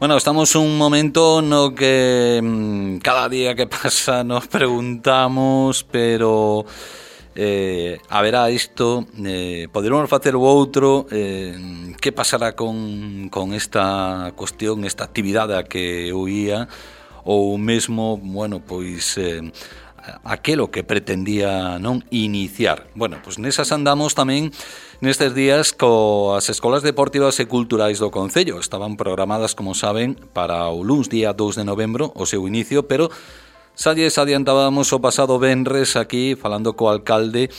Bueno, estamos un momento no que cada día que pasa nos preguntamos, pero haberá isto, poderemos facer o outro, que pasará con esta cuestión, esta actividade a que eu ia, ou mesmo, bueno, pois aquelo que pretendía non iniciar. Bueno, pois nesas andamos tamén nestes días coas escolas deportivas e culturais do Concello. Estaban programadas, como saben, para o luns día 2 de novembro o seu inicio, pero xa lles adiantábamos o pasado venres aquí falando co alcalde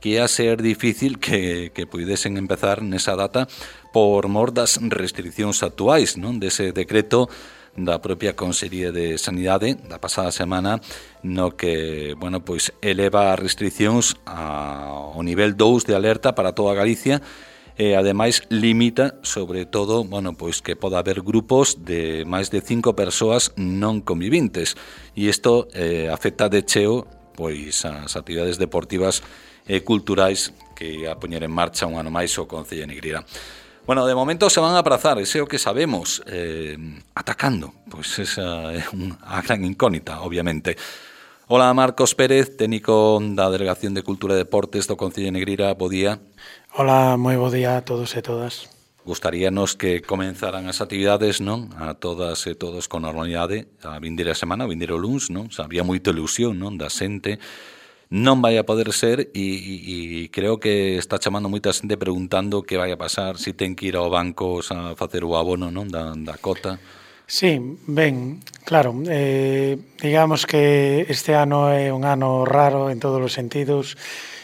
que ia ser difícil que puidesen empezar nesa data por mor das restriccións actuais, non? Dese decreto da propia Consellería de Sanidade da pasada semana no que, bueno, pois eleva as restriccións ao nivel 2 de alerta para toda Galicia e ademais limita sobre todo, bueno, pois que poda haber grupos de máis de 5 persoas non convivintes e isto afecta de cheo pois as actividades deportivas e culturais que a poñer en marcha un ano máis o Concello de Negreira. Bueno, de momento se van a aprazar, ese é o que sabemos, atacando, pois esa é a gran incógnita, obviamente. Hola, Marcos Pérez, técnico da Delegación de Cultura e Deportes do Concello de Negreira, bo día. Hola, moi bo día a todos e todas. Gustaríanos que comenzaran as actividades, non? A todas e todos con normalidade, a vindeira semana, a vindeiro luns, non? Había moita ilusión, non? Da xente. Non vai a poder ser e creo que está chamando moita xente preguntando que vai a pasar, se ten que ir ao banco a facer o abono, non, da cota. Sí, ben, claro, digamos que este ano é un ano raro en todos os sentidos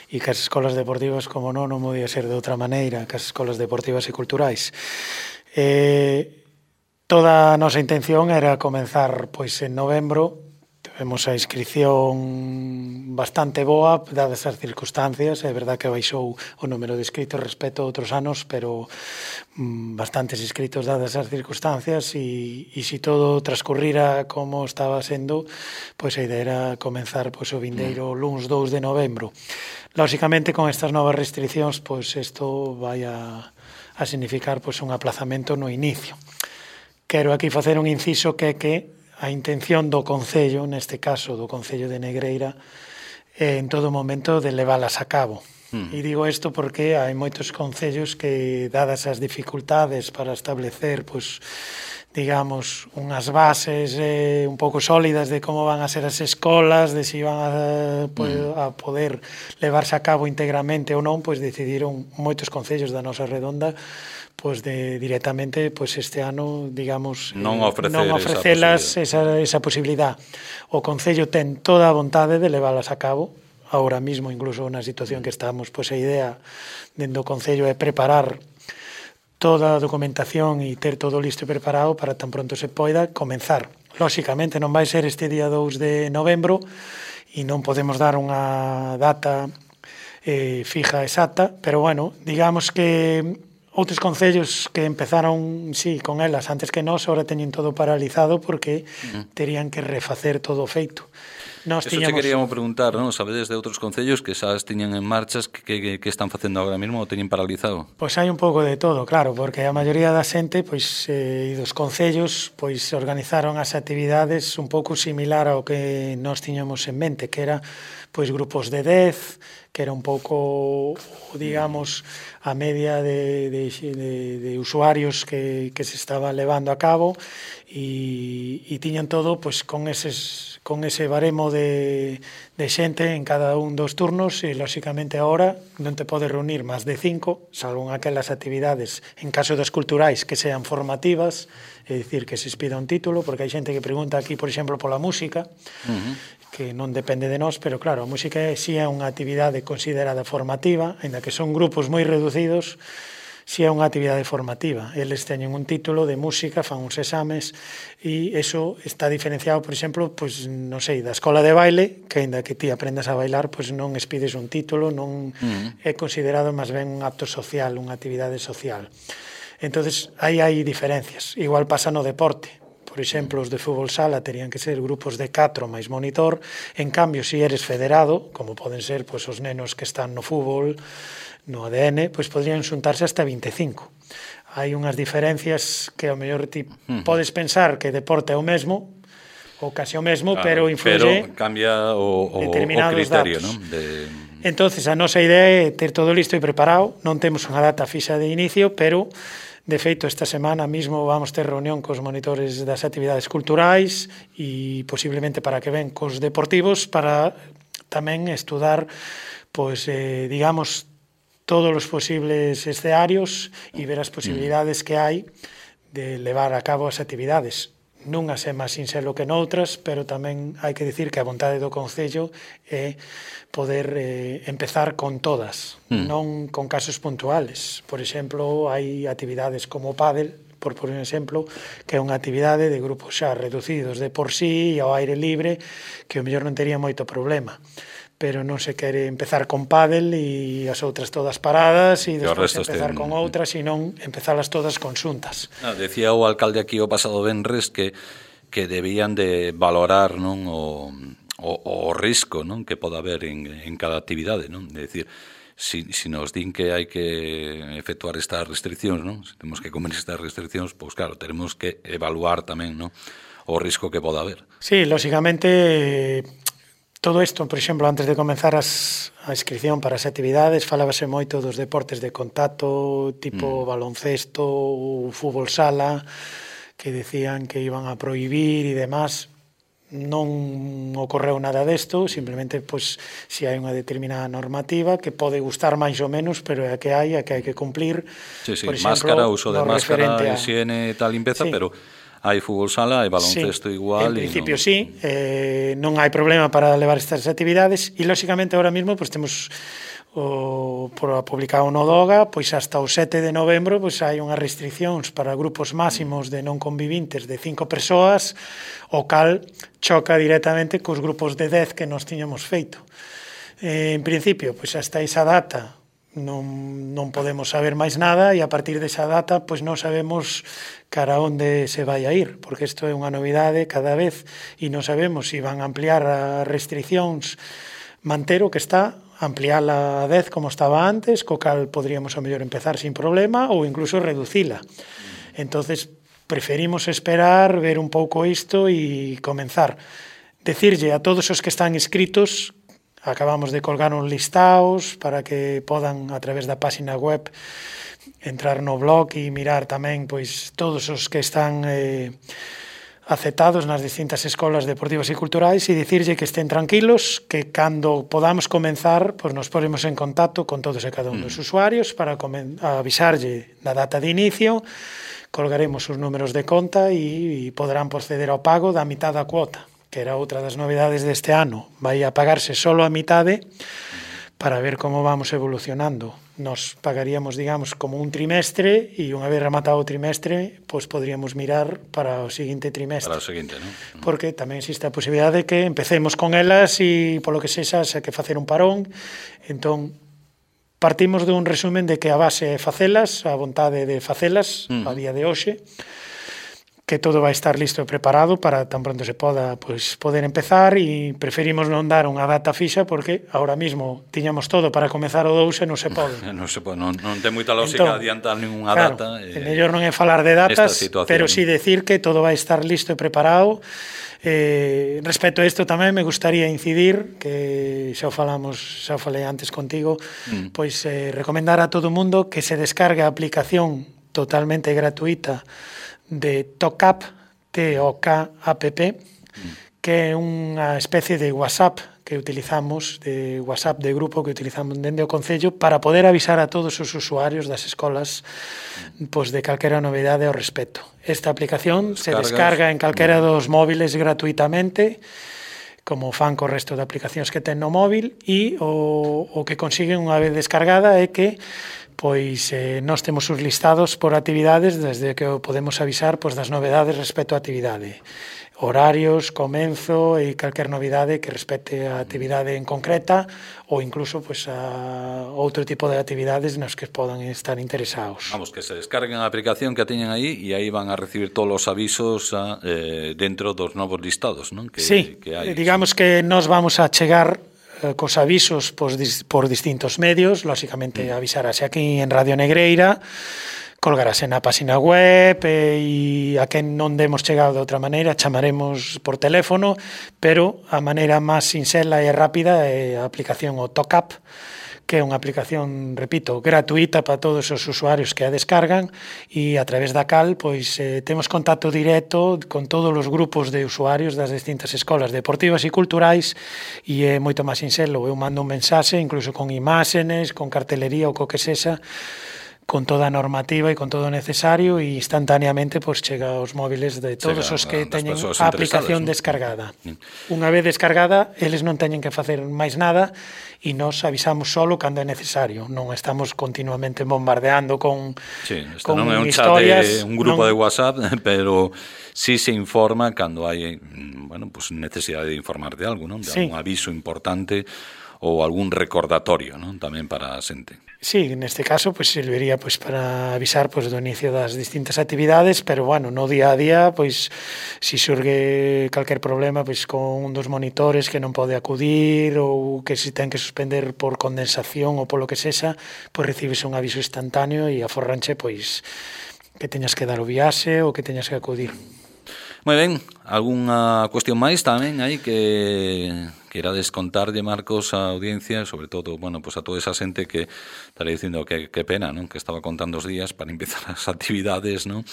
e que as escolas deportivas, como non podía ser de outra maneira, que as escolas deportivas e culturais. Toda a nosa intención era comenzar pois en novembro. Tivemos a inscripción bastante boa, dadas as circunstancias. É verdad que baixou o número de inscritos respecto a outros anos, pero bastantes inscritos dadas as circunstancias e se todo transcurrira como estaba sendo, pois a idea era comenzar pois o vindeiro luns 2 de novembro. Lóxicamente, con estas novas restriccións, pois isto vai a significar pois un aplazamento no inicio. Quero aquí facer un inciso que a intención do Concello, neste caso do Concello de Negreira, en todo momento de leválas a cabo. E digo isto porque hai moitos concellos que, dadas as dificultades para establecer, pois, digamos, unhas bases un pouco sólidas de como van a ser as escolas, de se van a poder levarse a cabo íntegramente ou non, pois decidiron moitos concellos da nosa redonda pois directamente pois este ano, digamos, non ofrecelas esa posibilidad. O Concello ten toda a vontade de leválas a cabo. Ahora mismo, incluso na situación que estamos, pois a idea dentro do Concello é preparar toda a documentación e ter todo listo e preparado para tan pronto se poida comenzar. Lóxicamente non vai ser este día 2 de novembro e non podemos dar unha data fija exacta, pero bueno, digamos que outros concellos que empezaron, sí, con elas antes que nós, ahora teñen todo paralizado porque terían que refacer todo feito. Eso che queríamos preguntar, non? Sabedes de outros concellos que xa tiñan en marchas que están facendo agora mesmo ou teñen paralizado? Pois hai un pouco de todo, claro, porque a maioría da xente e dos concellos pois organizaron as actividades un pouco similar ao que nós tiñamos en mente, que era pois grupos de 10, que era un pouco, digamos, a media de usuarios que se estaba levando a cabo e tiñan todo pois con ese baremo de xente en cada un dos turnos e, lóxicamente, agora non te podes reunir máis de 5, salvo en aquelas actividades, en caso das culturais, que sean formativas, é dicir, que se expida un título, porque hai xente que pregunta aquí, por exemplo, pola música, que non depende de nós, pero claro, a música si é unha actividade considerada formativa, ainda que son grupos moi reducidos, si é unha actividade formativa. Eles teñen un título de música, fan uns exames, e iso está diferenciado, por exemplo, pois, non sei, da escola de baile, que ainda que ti aprendas a bailar, pois non expides un título, non é considerado máis ben un acto social, unha actividade social. Entonces, aí hai diferencias. Igual pasa no deporte. Por exemplo, os de fútbol sala terían que ser grupos de 4 máis monitor. En cambio, se eres federado, como poden ser pois, os nenos que están no fútbol, no ADN, pois podrían xuntarse hasta 25. hai unhas diferencias que ao mellor ti podes pensar que deporte é o mesmo, ou case o mesmo, pero influye pero cambia o criterio, datos. ¿no? Entonces, a nosa idea é ter todo listo e preparado, non temos unha data fixa de inicio, pero de feito esta semana mismo vamos ter reunión cos monitores das actividades culturais e posiblemente para que ven cos deportivos para tamén estudar, pois, digamos, todos os posibles escenarios e ver as posibilidades que hai de levar a cabo as actividades. Nunhas é máis sinxelo que noutras, pero tamén hai que dicir que a vontade do Concello é poder empezar con todas, non con casos puntuales. Por exemplo, hai actividades como o pádel, por un exemplo, que é unha actividade de grupos xa reducidos de por sí e ao aire libre, que o mellor non tería moito problema. Pero non se quere empezar con pádel e as outras todas paradas e despois empezar con outras e non empezalas todas conxuntas. Decía o alcalde aquí o pasado venres que debían de valorar, non, o risco, non, que pode haber en cada actividade, non? É dicir, si nos din que hai que efectuar estas restriccións, non? Se temos que comer estas restriccións, pois claro, teremos que evaluar tamén, non, o risco que pode haber. Sí, lógicamente, todo isto, por exemplo, antes de comenzar a inscripción para as actividades, falábase moito dos deportes de contacto, tipo baloncesto, fútbol sala, que decían que iban a prohibir e demás. Non ocorreu nada desto, simplemente, pois, se hai unha determinada normativa que pode gustar máis ou menos, pero é a que hai que cumplir. Sí, por exemplo, máscara, uso de máscara, higiene e tal limpeza, sí. Pero hai fútbol sala, hai baloncesto igual. En principio sí, non hai problema para levar estas actividades e, lóxicamente, ahora mismo pues, temos publicado no DOGA, pois hasta o 7 de novembro pois hai unhas restriccións para grupos máximos de non convivintes de 5 persoas, o cal choca directamente cos grupos de 10 que nos tiñamos feito. En principio, pois hasta esa data non podemos saber máis nada e a partir desa data pois non sabemos cara onde se vai a ir, porque isto é unha novidade cada vez e non sabemos se van a ampliar as restriccións, manter o que está, ampliála a 10 como estaba antes, co cal podríamos ao mellor empezar sin problema ou incluso reducila. Entonces preferimos esperar, ver un pouco isto e comenzar. Decirlle a todos os que están inscritos, acabamos de colgar uns listados para que podan, a través da página web, entrar no blog e mirar tamén pois todos os que están aceptados nas distintas escolas deportivas e culturais e dicirlle que estén tranquilos, que cando podamos comenzar, pois nos ponemos en contacto con todos e cada un dos usuarios para avisarlle da data de inicio, colgaremos os números de conta e poderán proceder ao pago da mitad da cuota, que era outra das novedades deste ano. Vai a pagarse solo a mitade para ver como vamos evolucionando. Nos pagaríamos, digamos, como un trimestre e unha vez rematado o trimestre, pois podríamos mirar para o seguinte trimestre. Para o seguinte, non? Porque tamén existe a posibilidade de que empecemos con elas e polo que sexa, se que facer un parón. Entón, partimos dun resumen de que a base é facelas, a vontade de facelas, a día de hoxe, que todo vai estar listo e preparado para tan pronto se poda poder empezar e preferimos non dar unha data fixa porque ahora mismo tiñamos todo para comezar o 2 e non se pode. Non ten moita lógica adiantar ninguna data. O mellor non é falar de datas, pero sí decir que todo vai estar listo e preparado. Respecto a isto tamén me gustaría incidir que xa falei antes contigo, pois recomendar a todo o mundo que se descargue a aplicación totalmente gratuita de TOKAP, T-O-K-A-P-P, que é unha especie de WhatsApp que utilizamos, de WhatsApp de grupo que utilizamos dende o Concello para poder avisar a todos os usuarios das escolas pois de calquera novidade ao respecto. Esta aplicación se descarga en calquera dos móviles gratuitamente, como fan co resto de aplicacións que ten no móvil, e o que consiguen unha vez descargada é que pois nós temos os listados por actividades desde que podemos avisar pois das novedades respecto á actividade. Horarios, comenzo e calquer novidade que respecte a actividade en concreta ou incluso pois a outro tipo de actividades nos que podan estar interesados. Vamos, que se descarguen a aplicación que a teñen aí e aí van a recibir todos os avisos dentro dos novos listados, non? Sí, digamos que nos vamos a chegar cos avisos por distintos medios, lóxicamente avisarase aquí en Radio Negreira, colgarase na página web e a quen non demos chegado de outra maneira chamaremos por teléfono, pero a maneira máis sinxela e rápida é a aplicación o TOCAP, que é unha aplicación, repito, gratuita para todos os usuarios que a descargan e a través da cal pois temos contacto directo con todos os grupos de usuarios das distintas escolas deportivas e culturais e é moito máis sinxelo. Eu mando un mensaxe, incluso con imágenes, con cartelería ou co que sexa, con toda a normativa e con todo o necesario e instantaneamente pois chega aos móviles de todos os que teñen a aplicación descargada. Unha vez descargada, eles non teñen que facer máis nada e nos avisamos solo cando é necesario. Non estamos continuamente bombardeando con non é un historias, chat, un grupo de WhatsApp, pero sí se informa cando hai, pues necesidade de informar de algo, non? De algún aviso importante ou algún recordatorio, non? Tamén para a xente. Sí, neste caso pues serviría pues para avisar pues do inicio das distintas actividades, pero bueno, no día a día, pues si surge calquer problema pues con un dos monitores que non pode acudir ou que si ten que suspender por condensación ou polo que sexa, pues recibes un aviso instantáneo e aforranche pues que teñas que dar o viaxe ou que teñas que acudir. Moi ben, algunha cuestión máis tamén aí que querades contarlle, Marcos, a audiencia, sobre todo, pues a toda esa xente que estaré dicindo que pena, non? Que estaba contando os días para empezar as actividades, non?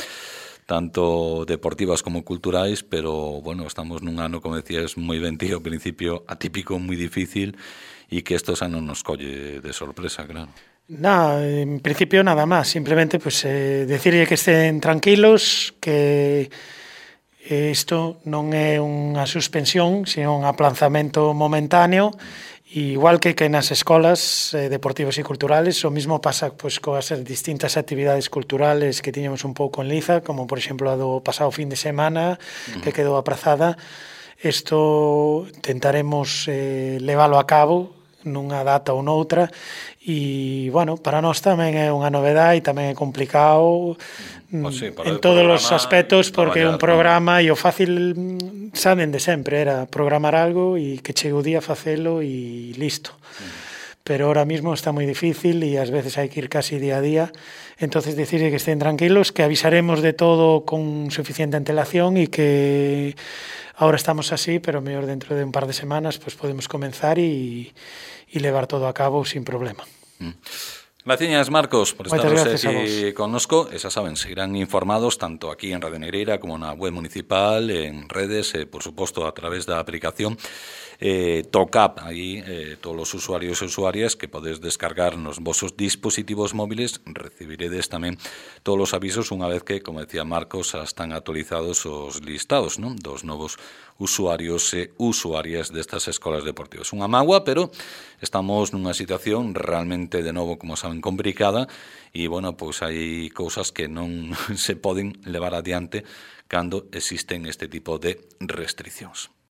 Tanto deportivas como culturais, pero, estamos nun ano, como decías, moi ben tío, ao principio atípico, moi difícil, e que isto xa non nos colle de sorpresa, claro. En principio nada máis, simplemente pues decirlle que estén tranquilos, que isto non é unha suspensión, sino un aplanzamento momentáneo, e igual que nas escolas deportivas e culturales, o mismo pasa pues coas distintas actividades culturales que tiñamos un pouco en liza, como por exemplo a do pasado fin de semana, que quedou aprazada. Isto tentaremos leválo a cabo nunha data ou noutra e, para nós tamén é unha novedade e tamén é complicado en todos os aspectos porque é un programa e o fácil saben de sempre era programar algo e que chegue o día facelo e listo. Pero ahora mismo está moi difícil e ás veces hai que ir casi día a día. Entonces decirle que estén tranquilos, que avisaremos de todo con suficiente antelación e que ahora estamos así, pero mellor dentro de un par de semanas pues podemos comenzar e levar todo a cabo sin problema. Gracias, Marcos, por estar aquí connosco. Xa saben, seguirán informados tanto aquí en Radio Negreira como na web municipal, en redes, por suposto a través da aplicación TOCAP, aí todos os usuarios e usuarias que podes descargar nos vosos dispositivos móviles, recibiredes tamén todos os avisos unha vez que, como decía Marcos, están actualizados os listados, non? Dos novos usuarios e usuarias destas escolas deportivas. Unha mágoa, pero estamos nunha situación realmente, de novo, como saben, complicada e, pois hai cousas que non se poden levar adiante cando existen este tipo de restriccións.